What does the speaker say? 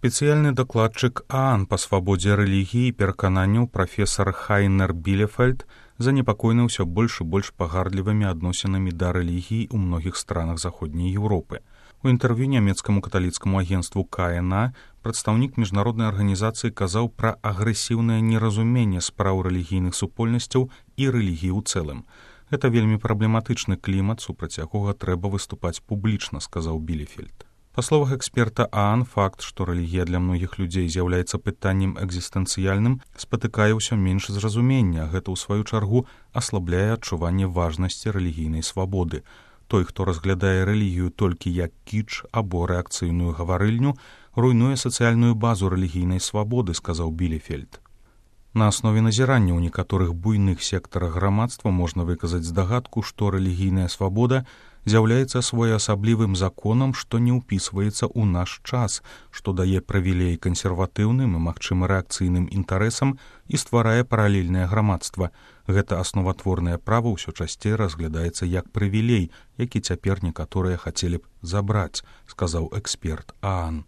Спецыяльны дакладчык ААН па свабодзе рэлігіі і перакананняў прафесар Хайнер Білефельд занепакоены ўсё больш і больш пагардлівымі адносінамі да рэлігіі ў многіх странах заходняй Еўропы. У інтэрв'ю нямецкаму каталіцкаму агенцтву КНА прадстаўнік міжнароднай арганізацыі казаў пра агрэсіўнае неразуменне спраў рэлігійных супольнасцяў і рэлігіі ў цэлым. Гэта вельмі праблематычны клімат, супраць якога трэба выступаць публічна, сказаў Білефельд. Па словах эксперта ААН, факт, што рэлігія для многіх людзей з'яўляецца пытаннем экзістэнцыяльным, спатыкае ўсё менш зразумення. Гэта, ў сваю чаргу, аслабляе адчуванне важнасці рэлігійнай свабоды. Той, хто разглядае рэлігію толькі як кіч або рэакцыйную гаварыльню, руйнуе сацыяльную базу рэлігійнай свабоды, сказаў Білефельд. На аснове назірання ў некаторых буйных сектарах грамадства можна выказаць здагадку, што рэлігійная свабода з'яўляецца своеасаблівым законам, што не ўпісваецца ў наш час, што дае прывілей кансерватыўным і, магчыма, рэакцыйным інтарэсам і стварае паралельнае грамадства. Гэта асноватворнае права ўсё часцей разглядаецца як прывілей, які цяпер некаторыя хацелі б забраць, сказаў эксперт ААН.